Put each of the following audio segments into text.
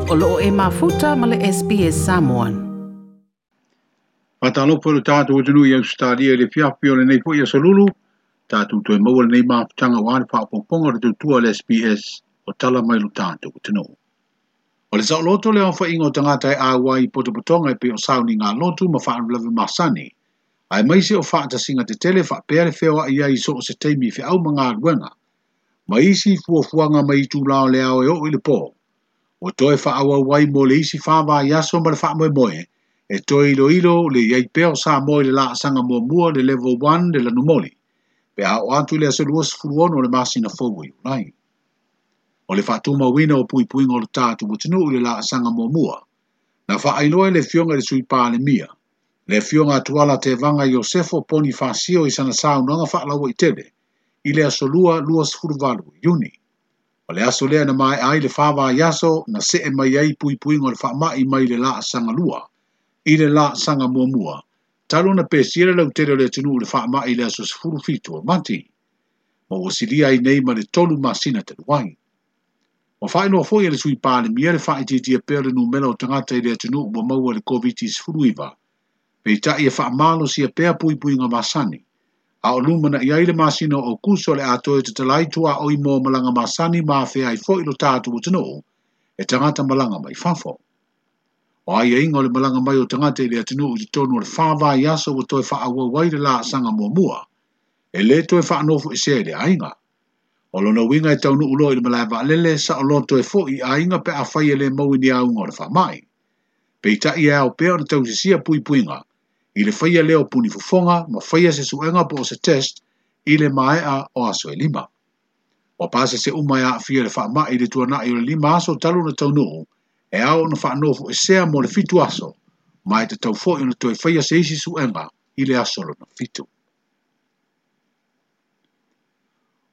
O loo e mafuta ma le SBS Samoan. Faatalofa i lo tatou atunuu i Ausetalia i le afiafi o lenei foi aso Lulu, tatou toe maua lenei mafutaga aua le faaopoopoga o le tautua a le SBS o tala mai lo tatou atunuu. O le saoloto le aofaiga o tagata e auai i potopotoga e pei o sauniga lotu ma faalavelave masani, aemaise o faatasiga tetele faapea le feoai ai i so o se taimi i feau ma galuega, ma isi fuafuaga mai itulā o le ao e oo i le pō. Ua toe faaauau ai mo le isi 4 vaiaso ma le faamoemoe, e toe iloilo le i ai pea o Samoa i le laasaga muamua le Level 1 le lanumoli, pe a oo atu i le aso 26 o le masina fou o Iulai. O le faatumauina o puipuiga o le tatou atunuu i le laasaga muamua, na faailoa e le afioga i le Sui Palemia, le afioga a Tuala Tevaga Iosefo Ponifasio i sana saunoaga faalauaitele i le aso 2 28 Iuni. O le aso lea na maea ai le 4 vaiaso na see mai ai puipuiga o le faamai mai le laasaga 2 i le laasaga muamua, talu na pesia le lautele o le atunuu i le faamai i le aso 17 o Mati, ma ua silia ai nei ma le 3 masina talu ai. Ua faailoa foi e le Sui Palemia le faaitiitia pea o le numera o tagata i le atunuu ua maua i le COVID-19, peitai e faamalosia pea puipuiga masani, a o lumanai ai le masina o Aokuso o le a toe tatala ai tuaoi mo malaga masani ma afea ai foi lo tatou atunuu e tagata malaga mai fafo. O aiaiga o le malaga mai o tagata i le atunuu i totonu o le 4 vaiaso ua toe faaauau ai le laasaga muamua, e lē toe faanofoesea i le aiga. O lona uiga e taunuu loa i le malae vaalele, saoloto e foi i aiga pe afai e lē maua i ni auga o le faamai. Peitai e ao pea ona tausisia puipuiga i le faia lea o puni fofoga ma faia se suega po o se test i le maea o aso e 5. Ua pasese uma e aafia le faamai i le tuanai o le 5 aso talu ona taunuu, e ao ona faanofoesea mo le 7 aso, ma e tatau foi ona toe faia se isi suega i le aso lona 7.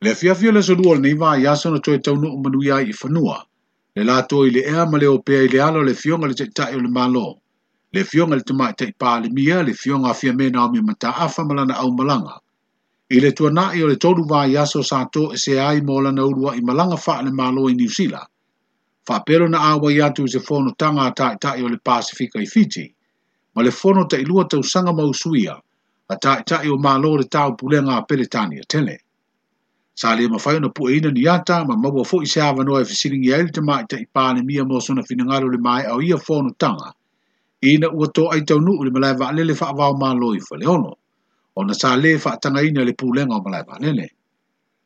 Le afiafi o le aso 2 o lenei vaiaso na toe taunuu manuia ai i fanua, le latou i le ea ma le opea i le ala o le afioga i le Taitai o le Malo, le afioga i le Tamaitai Palemia, le afioga a Fiame Naomi Mataafa ma lana aumalaga. I le tuanai o le 3 vaiaso sa toesea ai mo lana uluai malaga faale-Malo i Niu Sila, faapea lona auai atu i se fonotaga a Taitai o le Pasifika i Fiti, ma le fono tailua tausaga ma usuia a Taitai o Malo o le Taupulega a Peretania tele. Sa le mafai ona pueina ni ata ma maua foi se avanoa e fesiligia ai le Tamaitai Palemia mo sona finagalo i le maea o ia fonotaga, ina ua toai taunuu i le malae vaalele faavao Malo i Faleolo, ona sa lē faatagaina le pulega o malae vaalele.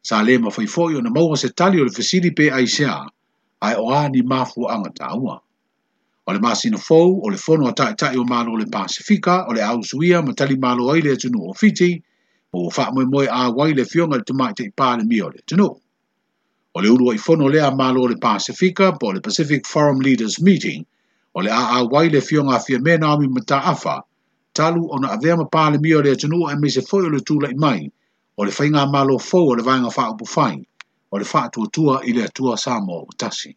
Sa le mafai foi ona maua se tali o le fesili pe aisea, ae o a ni mafuaaga taua. O le masina fou o le fono a Taitai o Malo o le Pasifika o le a usuia ma talimalo ai le atunuu o Fiti, ma ua faamoemoe auai le afioga i le Tamaitai Palemia o le atunuu. O le uluai fono lea a Malo o le Pasifika po o le Pacific Forum Leaders Meeting, o le a auai le afioga a Fiame Naomi Mataafa, talu ona avea ma Palemia o le atunuu aemaise foi o le tulai mai o le faigamalo fou o le Vaega Faaupufai o le Faatuatua i le Atua Samoa ua tasi.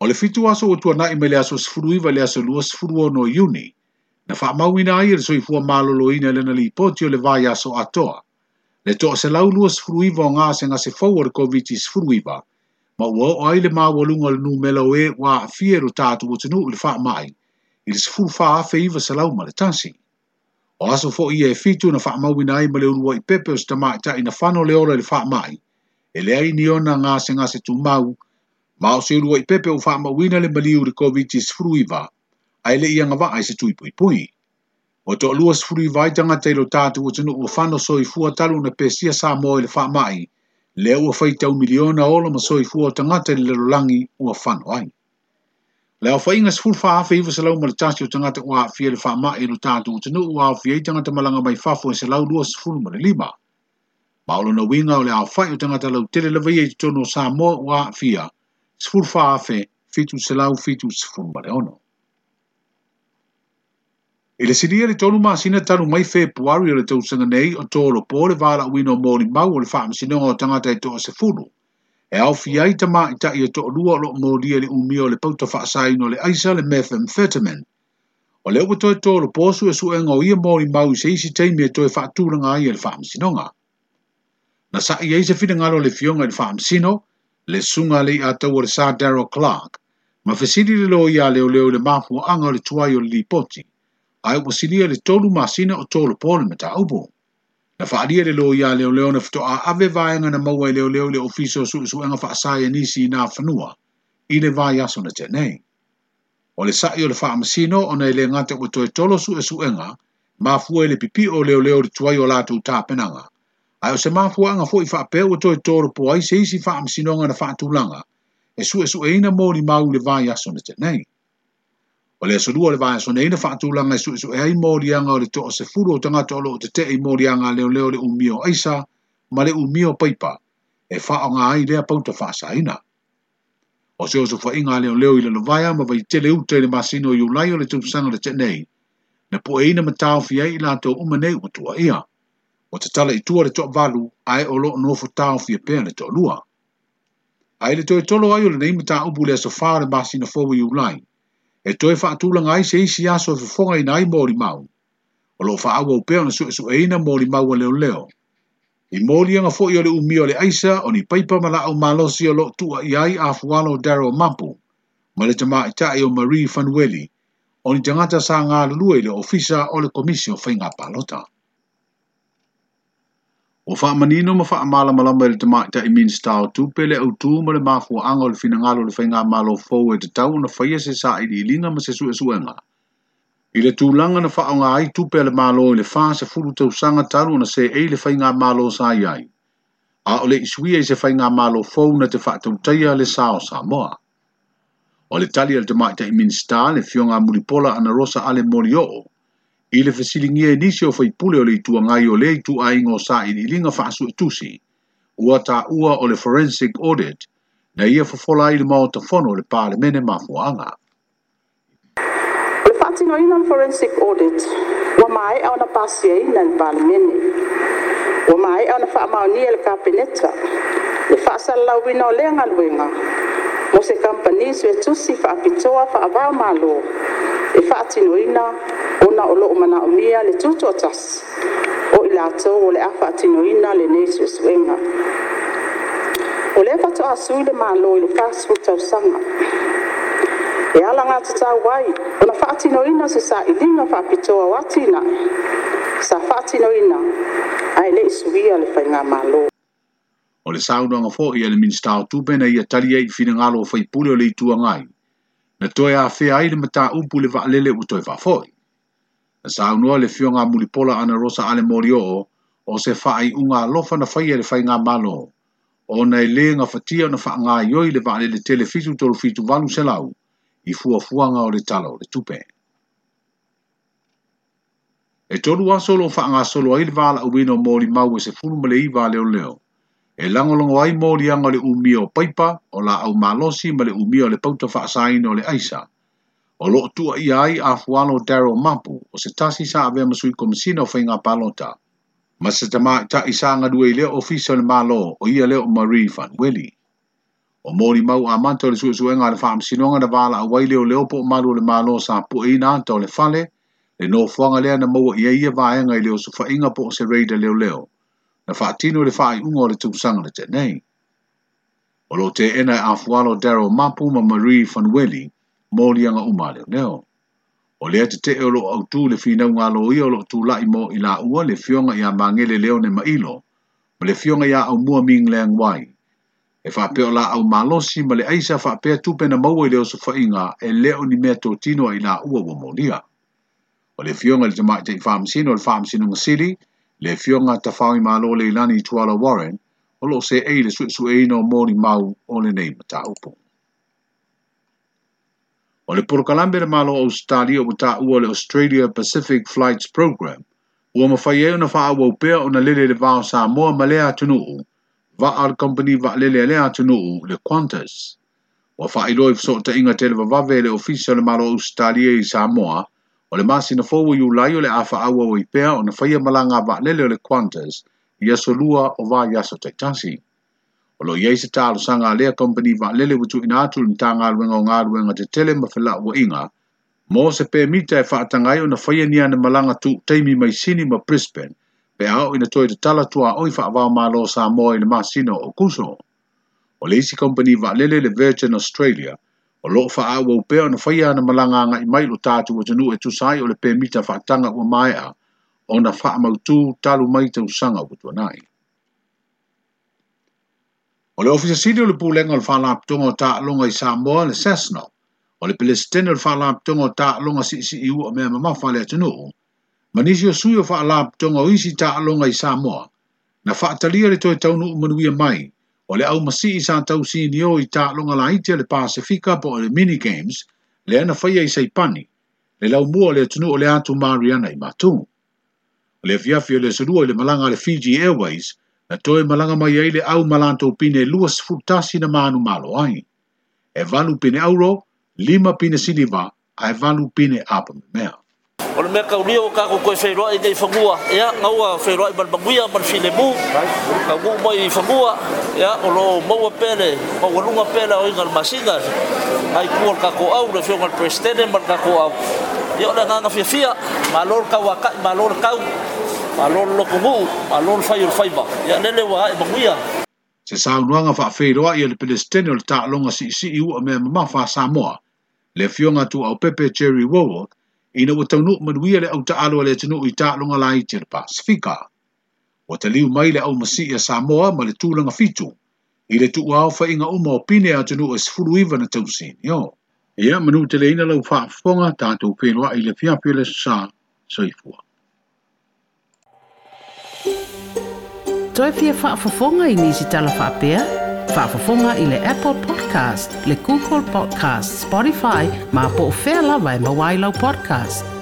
O le 7 aso ua tuanai mai le aso 19 i le aso 26 Iuni, na faamauina ai e le Soifua Maloloina i lana lipoti o le vaiaso atoa, le 129 o gasegase fou o le COVID-19, ma ua oo ai le maualuga o le numera o e ua aafia i lo tatou atunuu i le faamai i le 14,901. O aso foi ia e 7 na faamauina ai ma le uluai pepe o se tamaitai na fano le ola i le faamai, e leai ni ona gasegase tumau, ma o se uluai pepe ua faamauina le maliu i le COVID-19, ae le i agavaa i se tuipuipui. Ua 29 ai tagata i lo tatou atunuu ua fano soifua talu ona pesia Samoa i le faamai, lea ua faitau miliona ola ma soifua o tagata i le lalolagi ua fano ai. Le aofaiga 14,901 o tagata ua aafia i le faamai i lo tatou atunuu ua aofia ai tagata malaga mai fafo e 125. Ma o lona uiga o le aofai o tagata lautele lava ia i totonu o Samoa ua aafia 14,776. I le silia le 3 masina talu mai Fepuari o le tausaga nei o tolopo le valaauina o molimau o le faamasinoga o tagata e 10, e aofia ai tamaitai e 2 o loo molia i le umia o le pauta faasaina o le aisa le methamphetamine. O lea ua toe tolopo suesuega o ia molimau i se isi taimi e toe faatulaga ai e le faamasinoga. Na sa'i ai se finagalo o le afioga i le faamasino, Le susuga a le Leiataua le Sa Daryl Clarke, ma fesili le loia a leoleo i le mafuaaga o le tuai o le lipoti, ae ua silia le 3 masina o tolopo le mataupu. Na faaalia e le loia a leoleo na faatoa ave vaega na maua e leoleo i le Ofisa o Suesuega Faasaienisi i Nafanua i le vaiaso na tea nei. O le sa'i o le faamasino ona e le gata ua toe tolo suesuega, mafua i le pipio o leoleo i le tuai o latou tapenaga, ae o se mafuaaga foi faapea ua toe tolopo ai se isi faamasinoga na faatulaga e suesueina molimau i le vaiaso na tea nei. O le aso Lua o le vaiaso nei na faatulaga e suesue ai moliaga o le 10 o tagata o lo o tetee i moliaga a leoleo le umia o aisa ma le umia o paipa e faaaoga ai lea pauta faasaina. O se osofaiga a leoleo i Lalovaea ma Vaitele uta i le masina o Iulai o le tausaga na tea nei, na pueina ma taofi ai i latou uma nei ua tuuaia. Ua tatala i tua le 8 ae o lo o nofo taofia pea le 2. Ae i le toe tolo ai o lenei mataupu i le aso 4 o le masina fou i Iulai, e toe faatulaga ai se isi aso e fofogaina ai molimau. O lo o faaauau pea ona suesueina molimau a leoleo. I moliaga foi o le umia o le aisa, o ni paipa ma laau malosi o lo o tuuaia ai afualo o Daryl Mapu ma le tamaitai o Marie Fanueli, o ni tagata sa galulue i le Ofisa o le Komisi o Faiga Palota. Ua faamanino ma faamalamalama e le tamaitai Minisita o Tupe le autū ma le mafuaaga o le finagalo o le faigamalo fou e tatau ona faia se sailiiliga ma se suesuega. I le tulaga na faaaoga ai tupe a le Malo i le 40 tausaga talu ona seei le faigamalo sa i ai, a o le i suia i se faigamalo fou na te faatautaia le sa o Samoa. O le tali a le tamaitai Minisita, le Afioga a Mulipola Anarosa Ale Molioo, i le fesiligia e nisi o faipule o le Itu Agai o lea ituaiga o sailiiliga faasuetusi, ua taua o le forensic audit na ia fofola ai le Maota Fono o le Palemene mafuaaga. O le faatinoina o le forensic audit ua maea ona pasiaina e le Palemene. Ua maea ona faamaonia e le Kapeneta le faasalalauina o lea galuega mo se kamupani suetusi faapitoa faava-o-Malo e faatinoina ona o lo o manaomia le tutoatasi o i latou o le a faatinoina lenei suesuega. O lea faatoa sui le Malo i le 40 tausaga e alagatatau ai ona faatinoina se sailiga faapitoa o atinae sa faatinoina ae le i suia le faigamalo. O le saunoaga foi a le Minisita o Tupe na ia tali ai i finagalo o faipule o le Itu Agai, na toe afea ai le mataupu i le vaalele ua toe faafoi. Na saunoa le Afioga a Mulipola Anarosa Ale Molioo o se faaiuga alofa na faia e le faigamalo, ona e le gafatia ona faagaioi le vaalele tele 737 800 i fuafuaga o le Tala o le Tupe. E 3 aso o lo o faagasolo ai le valaauina o molimau e 19 a leoleo, e lagolago ai moliaga o le umia o paipa, o laau malosi ma le umia o le pauta faasaina o le aisa. O lo o tuuaia ai afualo Daryl Mapu, o se tasi sa avea ma sui komisina o Faiga Palota, ma se tamaitai sa galue i lea ofisa o le Malo, o ia lea o Marie Fanueli. O molimau amata o le suesuega a le faamasinoga na valaau ai leoleo po o malu o le Malo sa pueina ata o le fale, le nofoaga lea na maua i ai ia vaega i le osofaiga po o se raid a leoleo, na faatino i le faaiuga o le tausaga na tea nei. O lo o teena e afualo Daryl Mapu ma Marie Fanueli moliaga uma a leoleo. O lea tetee o lo o autū le finauga a loia o lo o tulai mo i laua le Afioga ia Magele Leone Mailo ma le Afioga ia Aumua Ming Leang Wai. E faapea o laau malosi ma le aisa faapea tupe na maua i le osofaiga e le o ni mea totino a i laua ua molia. O le Afioga i le Tamaitai Faamasino o le Faamasinoga Sili, le Afioga Tafaoimalo Leilani Tuala Warren, o lo o seei le suesueina o molimau o lenei mataupu. O le polokalame le Malo o Ausetalia ua taua le Australia Pacific Flights Program, ua mafai ai ona faaauau pea ona lele le va o Samoa ma lea atunuu, vaa o le kamupani vaalele a lea atunuu, le Qantas. Ua faailoa i fesootaiga televavave e le Ofisa o le Malo o Ausetalia i Samoa, o le masina fou o Iulai o le a faaauau ai pea ona faia malaga a vaalele o le Qantas i aso lua o vaiaso taitasi. O lo o i ai se talosaga a lea kamupani vaalele ua tuuina atu i le Matagaluega o Galuega Tetele ma Felauaiga mo se pemita e faataga ai ona faia ni ana malaga tuu taimi mai Sini ma Brisbane pe a oo ina toe tatala tuaoi faava-o-Malo o Samoa i le masina o Aokuso. O le isi kamupani vaalele le Virgin Australia, o lo o faaauau pea ona faia ana malaga agai mai i lo tatou atunuu e tusa ai o le pemita faataga ua maea ona faamautu talu mai tausaga ua tuanai. O le Ofisa Sili o le Pulega o le Faalapotopotoga o Taaloga i Samoa, le SASNOC, o le Peresetene o le Faalapotopotoga o Taaloga Siisii Ua Mea Mamafa a le Atunuu, ma nisi o sui o Faalapotopotoga o isi taaloga i Samoa, na faatalia le toe taunuu manuia mai o le aumasii sa tausinio i taaloga laiti a le Pasefika po o le Mini Games lea na faia i Saipani, le laumua o le atunuu o le Atu Mariana i Matu. O le afiafi o le Aso Lua i le malaga a le Fiji Airways, na toe malaga mai ai le au ma latou pine 21 na manumalo ai. E valu pine auro, lima pine siliva, ae valu pine apamemea. O le mea kaulia ua tatou toe feiloai nei i fanua, ia, na ua feiloai ma le manuia ma le filemu, taunuu mai i fanua, ia, o lo o maua pea le maualuga pea le aoina o le masina, nai tua o le tatou au, le Afioga i le Peresetene ma le tatou au. Ia, o le agaga fiafia, malo le tauatai, malo le tau, malo le lotonuu, malo le fai o le faiva, ia, lele ua ae manuia. Se saunoaga faafeiloai a le Peresetene o le Taaloga Siisii Ua Mea Mamafa a Samoa, le Afioga Tuuaupepe Jerry Wowok, ina ua taunuu manuia le autaalo a le atunuu i taaloga laiti a le Pasefika. Ua taliu mai le aumasii a Samoa ma le tulaga fitu i le tuuaofaiga uma o pine a atunuu e 19 na tausinio. Ia manuteleina lau faafofoga, tatou feiloai i le afiafi o le Aso Sa. Soifua. Toe fia faafofoga i nisi tala faapea? Faafofoga i le Apple Podcast, le Google Podcast, Spotify, ma po o fea lava e maua ai lau podcast.